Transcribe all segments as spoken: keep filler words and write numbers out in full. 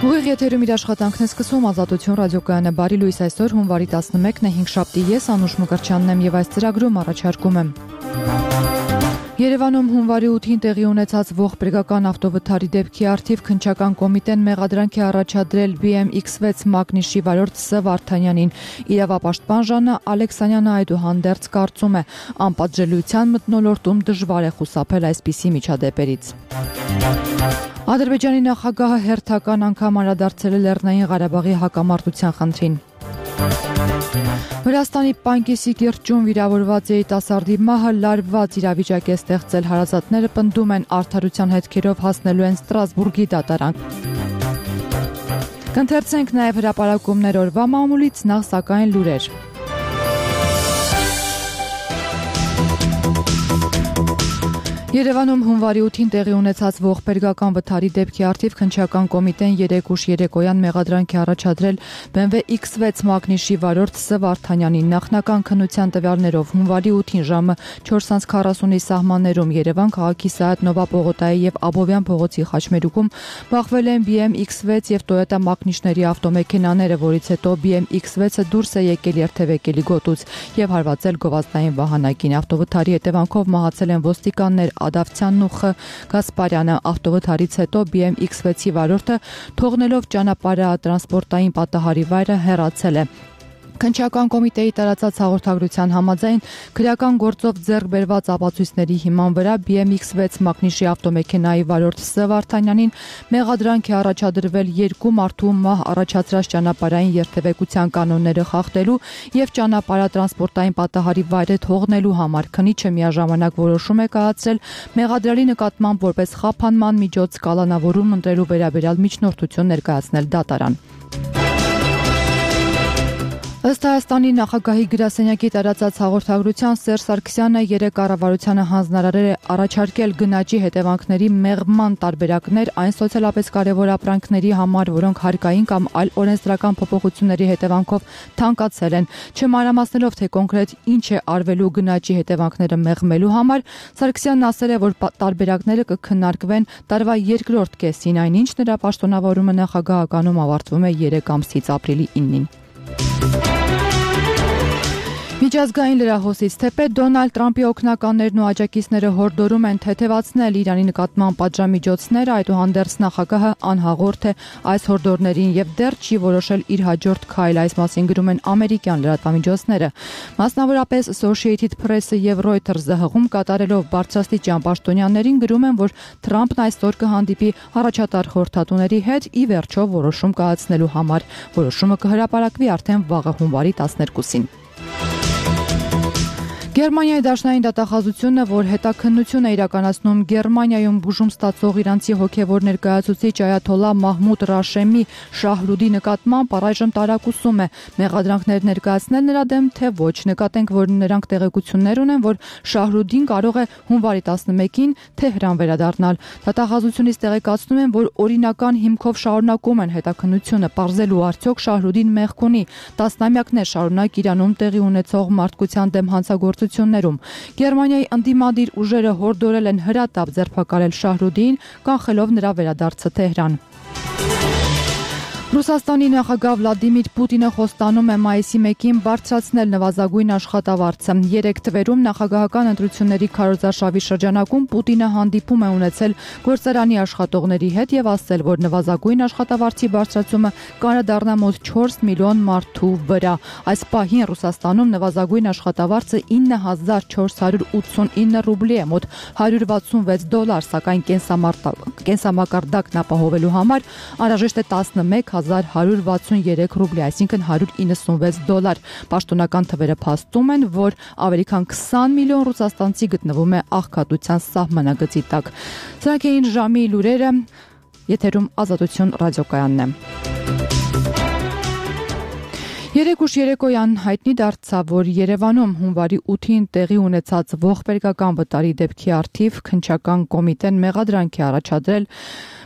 Ուղիղ եթերում իր աշխատանքն է սկսում Ազատություն ռադիոկայանը բարի լույս այսօր հունվարի տասնմեկն է հինգշաբթի ես Անուշ Մկրտչյանն եմ եւ այս ծրագրում առաջարկում եմ Երևանում հունվարի ութին տեղի ունեցած ողբերգական ավտովթարի դեպքի առթիվ քննչական կոմիտեն մեղադրանք է առաջադրել B M X վեց մագնիշի վարորդ Ս Վարդանյանին իրավապաշտպան Ժաննա Ալեքսանյանը այդուհանդերձ կարծում է անպատժելիության մթնոլորտում դժվար է խուսափել այսպիսի միջադեպերից Ադրբեջանի նախագահը հերթական անգամ անդրադարձել է Լեռնային Ղարաբաղի հակամարտության խնդրին Վրաստանի Պանկիսի կիրճում վիրավորված երիտասարդի մահը լարված իրավիճակ է ստեղծել հարազատները պնդում են արդարության հետքերով հասնելու են Ստրասբուրգի դատարան Կընթերցենք նաև հրապարակումներ օրվա մամուլից նախ սակայն լուրեր Երևանում հունվարի ութին տեղի ունեցած ողբերգական վթարի դեպքի առթիվ քննչական կոմիտեն երեք ուշ երեկոյան մեղադրանք է առաջադրել B M W X վեց մագնիշի վարորդ Ս Վարդանյանին նախնական քննության տվյալներով հունվարի ութին ժամը չորս քառասունի սահմաններում Երևան քաղաքի Սայաթ Նովա պողոտայի եւ Աբովյան փողոցի խաչմերուկում բախվել են B M X վեց եւ Toyota մագնիշների ավտոմեքենաները, որից հետո B M X վեցը դուրս է եկել երթևեկելի գոտուց եւ հարվածել գովազդային վահանակին ավտովթարի հետևանքով մահացել են ոստիկաններ Ադավցյանն ու Խ Գասպարյանը ավտովթարից հետո B M X վեցի վարորդը թողնելով ճանապարհը տրանսպորտային պատահարի վայրը հեռացել է Քննչական կոմիտեի տարածած հաղորդագրության համաձայն քրեական գործով ձեռք բերված ապացույցների հիման վրա B M X վեց մագնիշի ավտոմեքենայի վարորդ Ս Վարդանյանին մեղադրանք է առաջադրվել երկու մարդու մահ առաջացրած ճանապարհային երթևեկության կանոնները խախտելու եւ ճանապարհատրանսպորտային պատահարի վայրը թողնելու համար քննիչը միաժամանակ որոշում է կայացրել մեղադրելի նկատմամբ որպես խափանման միջոց կալանավորում ընտրելու վերաբերյալ միջնորդություն ներկայացնել դատարան Ըստ Հայաստանի նախագահի գրասենյակի տարածած հաղորդագրության Սերժ Սարգսյանը երեք կառավարությանը հանձնարարել է առաջարկել գնաճի հետևանքների մեղման տարբերակներ այն սոցիալապես կարևոր ապրանքների համար, որոնք հարկային կամ այլ օրենսդրական փոփոխությունների հետևանքով թանկացել են, չմանրամասնելով թե կոնկրետ ինչ է արվելու գնաճի հետևանքները մեղմելու համար, Սարգսյանն ասել է, որ տարբերակները կքննարկվեն տարվա երկրորդ կեսին, այնինչ նրա պաշտոնավորումը նախագահականում ավարտվում է երեք ամսից ապրիլի իննին Միջազգային լրահոսից թեպետ Դոնալդ Տրամփի օգնականներն ու աջակիցները հորդորում են թեթևացնել Իրանի նկատմամբ պատժամիջոցները, այդուհանդերձ նախագահը անհաղորդ է այս հորդորներին եւ դեռ չի որոշել իր հաջորդ քայլը, այս մասին գրում են ամերիկյան լրատվամիջոցները։ Մասնավորապես Associated Press-ը եւ Reuters-ը հղում կատարելով բարձրաստիճան պաշտոնյաներին գրում են, որ Թրամփն այսօր կհանդիպի առաջատար խորհրդատուների հետ ի վերջո որոշում կայացնելու համար։ Որոշումը կհրապարակվի արդեն վաղը հունվարի տասներկուսին։ Գերմանիայի դաշնային դատախազությունը, որ հետաքննություն է իրականացնում Գերմանիայում բուժում ստացող իրանցի հոգևոր ներկայացուցիչ Այաթոլլա Մահմուդ Ռաշեմի Շահրուդի նկատմամբ առայժմ տարակուսում է մեղադրանքներ ներկայացնել նրա դեմ, թե ոչ։ Նկատենք, որ նրանք տեղեկություններ ունեն, որ Շահրուդին կարող է հունվարի տասնմեկին Թեհրան վերադառնալ։ Դատախազությունից տեղեկացնում են, որ օրինական հիմքով շարունակում են հետաքննությունը, պարզելու արդյոք Շահրուդին մեղք ունի։ Տասնամյակներ շարունակ Իրանում տեղի ունեցող մարդկության դեմ հանցագործություններում Գերմանիայի ընդդիմադիր ուժերը հորդորել են հրատապ ձերբակալել Շահրուդին, կանխելով նրա վերադարձը Թեհրան։ Ռուսաստանի նախագահ Վլադիմիր Պուտինը խոստանում է մայիսի մեկին բարձրացնել նվազագույն աշխատավարձը։ Երեք թվերում նախագահական ընտրությունների քարոզարշավի շրջանակում Պուտինը հանդիպում է ունեցել գործարանի աշխատողների հետ եւ ասել, որ նվազագույն աշխատավարձի բարձրացումը կանդրադառնա մոտ չորս միլիոն մարդու վրա։ Այս պահին Ռուսաստանում նվազագույն աշխատավարձը ինը հազար չորս հարյուր ութսունինը ռուբլի է, մոտ հարյուր վաթսունվեց դոլար, սակայն կենսամակարդակն ապահովելու համար անհրաժեշտ է տասնմեկ հազար հարյուր վաթսուներեք ռուբլի, այսինքն հարյուր իննսունվեց դոլար։ Պաշտոնական թվերը փաստում են, որ ավելի քան քսան միլիոն ռուսաստանցի գտնվում է աղքատության սահմանագծի տակ։ Սրանք էին ժամի լուրերը, եթերում Ազատություն ռադիոկայանն է։ Երեք ուշ երեկոյան հայտնի դարձավ, որ Երևանում հունվարի ութին տեղի ունեցած ողբերգական վտարի դեպքի առթիվ քննչական կոմիտեն մեղադրանք է առաջադրել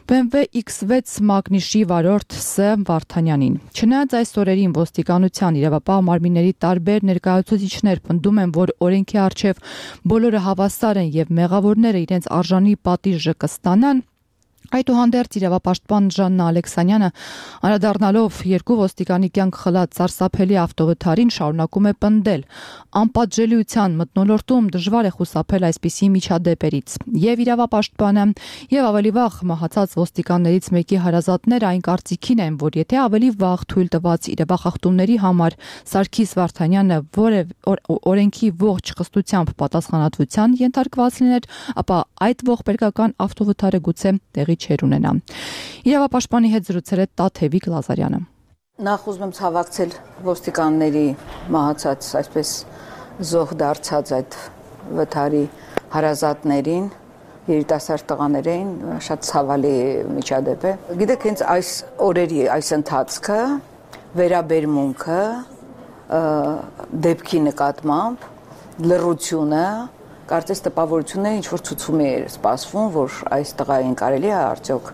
B M W X վեց մագնիշի վարորդ Ս Վարդանյանին։ Չնայած այս օրերին ոստիկանության իրավապահ մարմինների տարբեր ներկայացուցիչներ պնդում են, որ օրենքի առջև բոլորը հավասար են եւ մեղավորները իրենց արժանի պատիժը կստանան, Այդուհանդերձ իրավապաշտպան Ժաննա Ալեքսանյանը անդրադառնալով երկու ոստիկանի կյանք խլած սարսափելի ավտովթարին շարունակում է պնդել. անպատժելիության մթնոլորտում դժվար է խուսափել այսպիսի միջադեպերից։ Եվ իրավապաշտպանը, եւ ավելի վաղ մահացած ոստիկաններից մեկի հարազատները այն կարծիքին են, որ եթե ավելի վաղ թույլ տված իրավախախտումների համար Սարգիս Վարդանյանը օրենքի ողջ խստությամբ պատասխանատվության ենթարկված լիներ, ապա այդ ողբերգական ավտովթարը գուցե տեղի չեր ունենա։ Իրավապաշտպանի հետ զրուցել է Տաթևիկ Լազարյանը։ Նախ ուզում եմ ցավակցել ոստիկանների մահացած, այսպես զոհ դարձած այդ վթարի հարազատներին, երիտասարդ տղաներին, շատ ցավալի միջադեպ է։ Գիտեք, հենց այս օրերի այս ընթացքը, վերաբերմունքը, դեպքի նկատմամբ, լռությունը, կարծես տպավորությունն է, ինչ որ ցուցում է սպասվում, որ այս տղային կարելի է արդյոք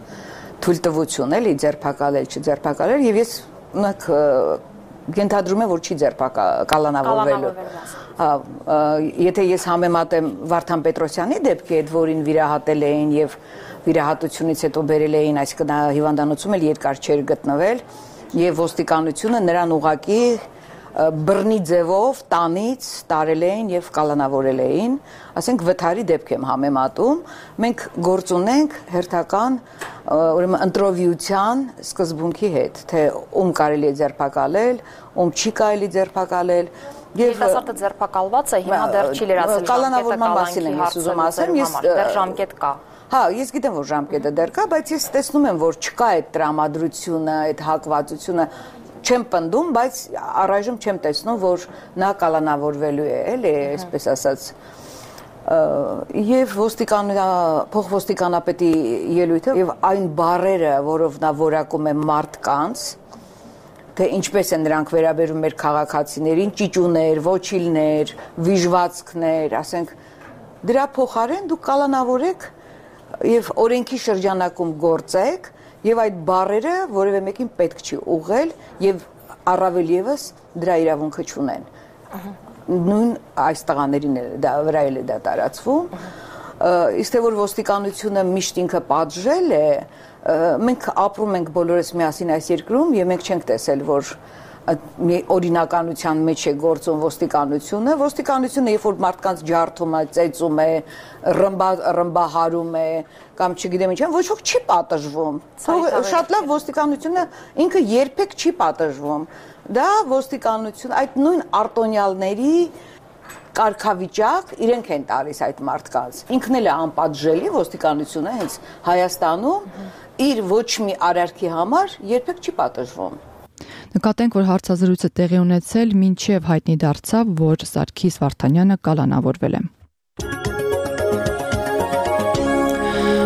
թույլտվություն էլի ձերբակալել, չձերբակալել, եւ ես ունակ ենթադրում եմ, որ չի ձերբակալանավորվելու։ Հա, եթե ես համեմատեմ Վարդան Պետրոսյանի դեպքի հետ, որին վիրահատել էին եւ վիրահատությունից հետո բերել էին, այսինքն հիվանդանոցում էլ երկար չէր գտնվել, եւ ոստիկանությունը նրան ուղակի բռնի ձևով տանից տարել էին եւ կալանավորել էին, ասենք վթարի դեպք եմ համեմատում, մենք գործ ունենք հերթական ուրեմն ընտրովիության սկզբունքի հետ, թե ում կարելի է ձերբակալել, ում չի կարելի ձերբակալել եւ երիտասարդը ձերբակալված է, հիմա դեռ չի լրացել կալանավորման մասին եմ ես ուզում ասեմ, ես դեռ ժամկետ կա։ Հա, ես գիտեմ, որ ժամկետը դեռ կա, բայց ես տեսնում եմ, որ չկա այդ տրամադրությունը, այդ հակվածությունը, չեմ պնդում, բայց առայժմ չեմ տեսնում, որ նա կալանավորվելու է, էլի, այսպես ասած։ Եվ փոխոստիկանապետի ելույթը եւ այն բառերը, որով նա որակում է մարդկանց, թե ինչպես են նրանք վերաբերում մեր քաղաքացիներին, ճիճուներ, ոչիլներ, վիժվածքներ, ասենք, դրա փոխարեն դուք կալանավորեք եւ օրենքի շրջանակում գործեք եւ այդ բառերը որևէ մեկին պետք չի ուղղել եւ առավել եւս դրա իրավունքը չունեն։ Նույն այս տղաներին դա վրա էլ է դա տարածվում։ Իսկ թե որ ոստիկանությունը միշտ ինքը պատժել է, մենք ապրում ենք բոլորս միասին այս երկրում եւ մենք չենք տեսել, որ օրինականության մեջ է գործում ոստիկանությունը, ոստիկանությունը երբ որ մարդկանց ջարդում է, ծեծում է, ռմբահարում է, կամ չգիտեմ ինչ, ոչ ոք չի պատժվում։ Շատ լավ ոստիկանությունը ինքը երբեք չի պատժվում։ Դա ոստիկանություն, այդ նույն արտոնյալների կարգավիճակ իրենք են տալիս այդ մարդկանց։ Ինքն էլ է անպատժելի ոստիկանությունը հենց Հայաստանում իր ոչ մի արարքի համար երբեք չի պատժվում։ Նկատենք, որ հարցազրույցը տեղի ունեցել մինչև հայտնի դարձավ, որ Սարգիս Վարդանյանը կալանավորվել է։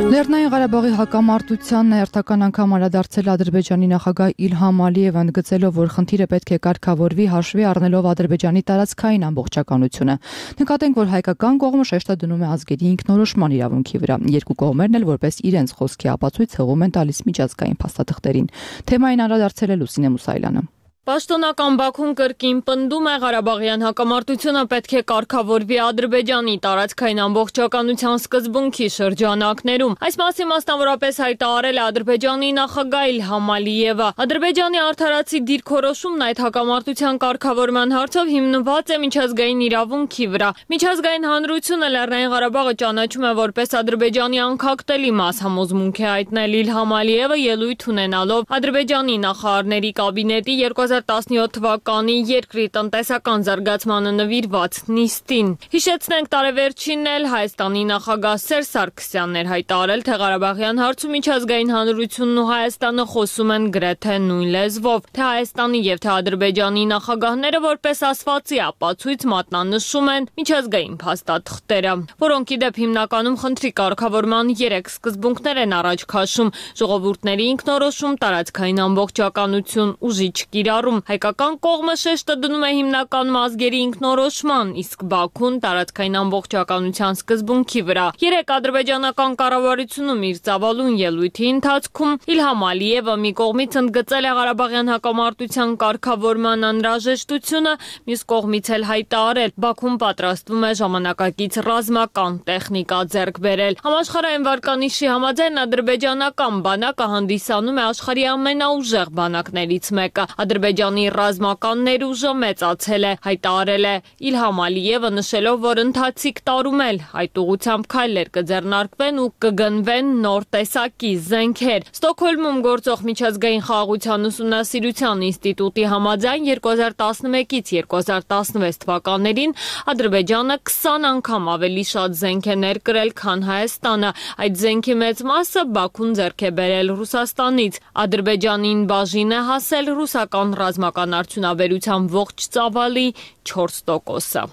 Լեռնային Ղարաբաղի հակամարտությանն հերթական անգամ անդրադարձել Ադրբեջանի նախագահ Իլհամ Ալիևը, ընդգծելով, որ խնդիրը պետք է կարգավորվի հաշվի առնելով Ադրբեջանի տարածքային ամբողջականությունը։ Նկատենք, որ հայկական կողմը շեշտը դնում է ազգերի ինքնորոշման իրավունքի վրա։ Երկու կողմերն էլ որպես իրենց խոսքի ապացույց հղում են տալիս միջազգային փաստաթղթերին։ Թեմային անդրադարձել է Լուսինե Մուսայելյանը։ Պաշտոնական Բաքուն կրկին պնդում է Ղարաբաղյան հակամարտությունը պետք է կարգավորվի Ադրբեջանի տարածքային ամբողջականության սկզբունքի շրջանակներում։ Այս մասին մասնավորապես հայտարարել է Ադրբեջանի նախագահ Իլհամ Ալիևը։ Ադրբեջանի արդարացի դիրքորոշումն այդ հակամարտության կարգավորման հարցով հիմնված է միջազգային իրավունքի վրա։ Միջազգային հանրությունը Լեռնային Ղարաբաղը ճանաչում է որպես Ադրբեջանի անկախտելի մաս, համոզմունք է հայտնել Իլհամ Ալիևը ելույթ ունենալով Ադրբեջանի նախարարների կաբինետի երկու հազար տասնյոթ թվականի երկրի տնտեսական զարգացմանը նվիրված նիստին։ Հիշեցնենք, տարեվերջինն էլ Հայաստանի նախագահ Սերժ Սարգսյանն էր հայտարարել, թե Ղարաբաղյան հարցում միջազգային հանրությունն ու Հայաստանը խոսում են գրեթե նույն լեզվով, թե Հայաստանի եւ թե Ադրբեջանի նախագահները որպես ասվածի ապացույց մատնանշում են միջազգային փաստաթղթերը, որոնք ի դեպ հիմնականում խնդրի կարգավորման երեք սկզբունքներ են առաջ քաշում՝ ժողովուրդների ինքնորոշում, տարածքային ամբողջականություն, ուժի չկիրառում կիրառում։ Հայկական կողմը շեշտը դնում է հիմնական ազգերի ինքնորոշման, իսկ Բաքուն տարածքային ամբողջականության սկզբունքի վրա։ Երեք ադրբեջանական կառավարությունում իր ծավալուն ելույթի ընթացքում Իլհամ Ալիևը մի կողմից ընդգծել է Ղարաբաղյան հակամարտության կարգավորման անհրաժեշտությունը, մյուս կողմից էլ հայտարարել Բաքուն պատրաստվում է ժամանակակից ռազմական տեխնիկա ձեռք բերել։ Համաշխարհային վարկանիշի համաձայն ադրբեջանական բանակը հանդիսանում է աշխարհի ամենաուժեղ բանակներից մեկը։ Ադրբեջանի ռազմական ներուժը մեծացել է, հայտարարել է Իլհամ Ալիևը, նշելով, որ ընթացիկ տարում էլ այդ ուղղությամբ քայլեր կձեռնարկվեն ու կգնվեն նոր տեսակի զենքեր։ Ստոկհոլմում գործող միջազգային խաղաղության ուսումնասիրության ինստիտուտի համաձայն երկու հազար տասնմեկից երկու հազար տասնվեց թվականներին Ադրբեջանը քսան անգամ ավելի շատ զենք է ներկրել, քան Հայաստանը։ Այդ զենքի մեծ մասը Բաքուն ձեռք է բերել Ռուսաստանից։ Ադրբեջանին բաժին է հասել ռուսական ռազմական արդյունաբերության ողջ ծավալի չորս տոկոսը։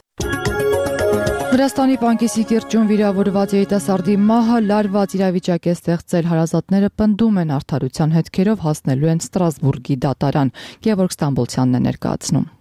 Վրաստանի Պանկիսի կիրճում վիրավորված երիտասարդի մահը լարված իրավիճակ է ստեղծել, հարազատները պնդում են արդարության հետքերով հասնելու են Ստրասբուրգի դատարան։ Գևորգ Ստամբոլցյանն է ներկայացնում։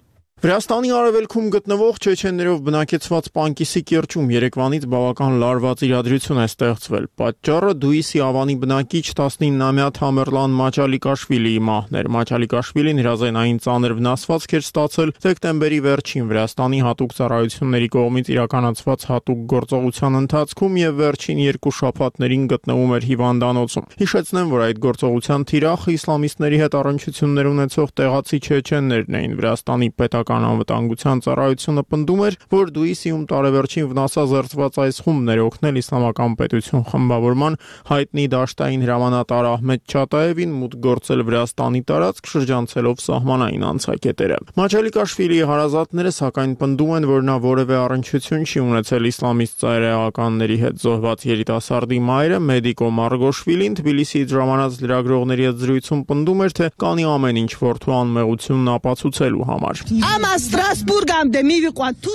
Վրաստանի արևելքում գտնվող չեչեններով բնակեցված Պանկիսի կիրճում երեկվանից բավական լարված իրադրություն է ստեղծվել։ Պատճառը Դուիսի ավանի բնակիչ տասնինամյա Թամերլան Մաչալիկաշվիլիի մահն էր։ Մաչալիկաշվիլին հրազենային ծանր վնասվածք էր ստացել դեկտեմբերի վերջին Վրաստանի հատուկ ծառայությունների կողմից իրականացված հատուկ գործողության ընթացքում եւ վերջին երկու շաբաթներին գտնվում էր հիվանդանոցում։ Հիշեցնեմ, որ այդ գործողության թիրախը իսլամիստների հետ առնչություններ ունեցող տեղացի չեչեններն էին։ Վրաստանի պետական անվտանգության ծառայությունը պնդում էր, որ Դուիսիում տարեվերջին վնասազերծված այս խումբն էր օգնել իսլամական պետություն խմբավորման հայտնի դաշտային հրամանատար Ահմեդ Չատաևին մուտք գործել Վրաստանի տարածք, շրջանցելով սահմանային անցակետերը։ Մաչալիկաշվիլիի հարազատները սակայն պնդում են, որ նա որևէ առնչություն չի ունեցել իսլամիստ ծայրահեղականների հետ։ Զոհված երիտասարդի մայրը Մեդիկո Մարգոշվիլին Թբիլիսիից ժամանած լրագրողների հետ զրույցում պնդում էր, թե կանի ամեն ինչ որդու անմեղությունն ապացուցելու համար։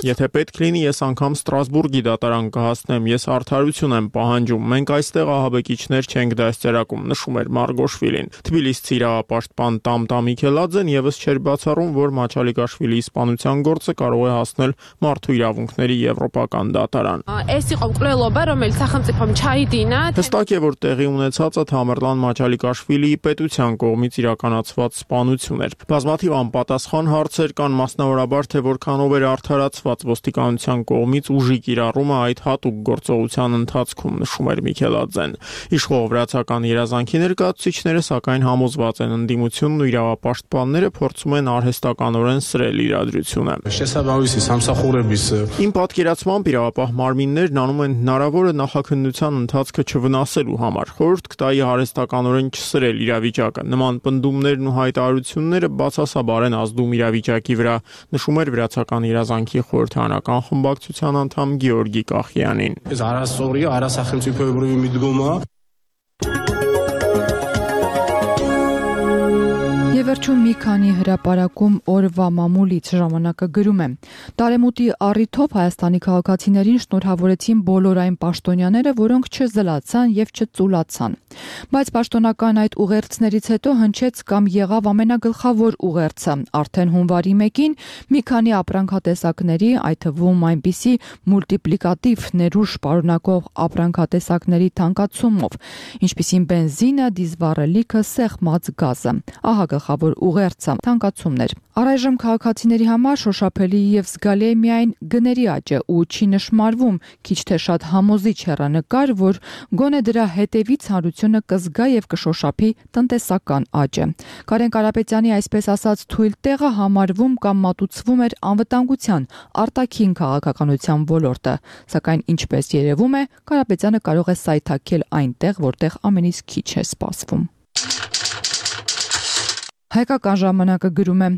Եթե պետք լինի, ես անգամ Ստրասբուրգի դատարան կհասնեմ, ես արդարություն եմ պահանջում, մենք այստեղ ահաբեկիչներ չենք դաստիարակում, նշում էր Մարգոշվիլին։ Թբիլիսցի իրավապաշտպան Տամտա Միքելաձեն եւս չէր բացառում, որ Մաչալիկաշվիլիի սպանության գործը կարող է հասնել մարդու իրավունքների եվրոպական դատարան։ Հստակ է, որ տեղի ունեցածը Թամերլան Մաչալիկաշվիլիի պետության կողմից իրականացված սպանություն էր։ Բազմաթիվ անպատասխան հարցեր կան, մասնավորաբար թե որքանով էր արդարացված ոստիկանության կողմից ուժի կիրառումը այդ հատուկ գործողության ընթացքում, նշում էր Միքելաձեն։ Իշխող վրացական երազանքի ներկայացուցիչները սակայն համոզված են, ընդդիմությունն ու իրավապաշտպանները փորձում են արհեստականորեն սրել իրադրությունը։ Իմ պատկերացմամբ իրավապահ մարմիններն անում են հնարավորը նախաքննության ընթացքը չվնասելու համար, խորհուրդ կտայի արհեստականորեն չսրել իրավիճակը։ Նման պնդումներն ու հայտարարությունները բացասաբար են ազդում իրավիճակի վրա, նշում էր վրացական երազանքի խորհրդարանական խմբակցության անդամ Գեորգի Կախյանին։ Վերջում մի քանի հրապարակում օրվա մամուլից ժամանակը գրում է. Տարեմուտի առիթով Հայաստանի քաղաքացիներին շնորհավորեցին բոլոր այն պաշտոնյաները, որոնք չզլացան եւ չծուլացան։ Բայց պաշտոնական այդ ուղերձներից հետո հնչեց կամ եղավ ամենագլխավոր ուղերձը։ Արդեն հունվարի մեկին մի քանի ապրանքատեսակների, այդ թվում այնպիսի մուլտիպլիկատիվ ներուժ պարունակող ապրանքատեսակների թանկացումով, ինչպիսին բենզինը, դիզվառելիքը, սեղմած գազը։ Ահա գլխավոր ուղերձը, թանկացումներ։ Առայժմ քաղաքացիների համար շոշափելի եւ զգալի է միայն գների աճը ու չի նշмарվում քիչ թե շատ համոզիչ հեռանկար, որ գոնե դրա հետևից հանրությունը կզգա եւ կշոշափի տնտեսական աճը։ Կարեն Կարապետյանի այսպես ասած թույլ տեղը համարվում կամ մատուցվում էր անվտանգության, արտաքին քաղաքականության ոլորտը, սակայն ինչպես երևում է, Կարապետյանը կարող է սայթաքել այնտեղ, որտեղ ամենից քիչ է սպասվում։ Հայկական ժամանակը գրում է.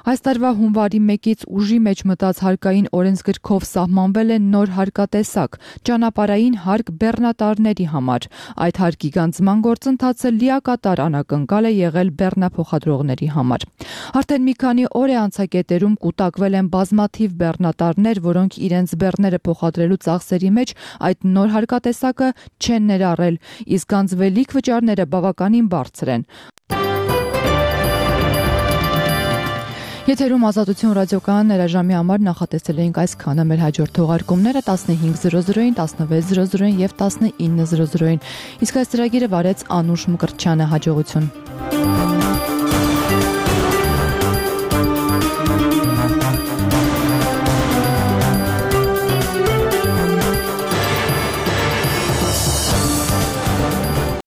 Այս տարվա հունվարի մեկից ուժի մեջ մտած հարկային օրենսգրքով սահմանվել է նոր հարկատեսակ՝ ճանապարհային հարկ բեռնատարների համար։ Այդ հարկի գանձման գործընթացը լիակատար անակնկալ է եղել բեռնափոխադրողների համար։ Արդեն մի քանի օր է անցակետերում կուտակվել են բազմաթիվ բեռնատարներ, որոնք իրենց բեռները փոխադրելու ծախսերի մեջ այդ նոր հարկատեսակը չեն ներառել, իսկ գանձվելիք վճարները բավականին բարձր են։ Եթերում Ազատություն ռադիոկայան ներաժամի համար նախատեսել էինք այսքանը, մեր հաջորդ թողարկումները տասնհինգ զրո զրոին, տասնվեց զրո զրոին եւ տասնինը զրո զրոին։ Իսկ այս ծրագիրը վարեց Անուշ Մկրտչյանը, հաջողություն։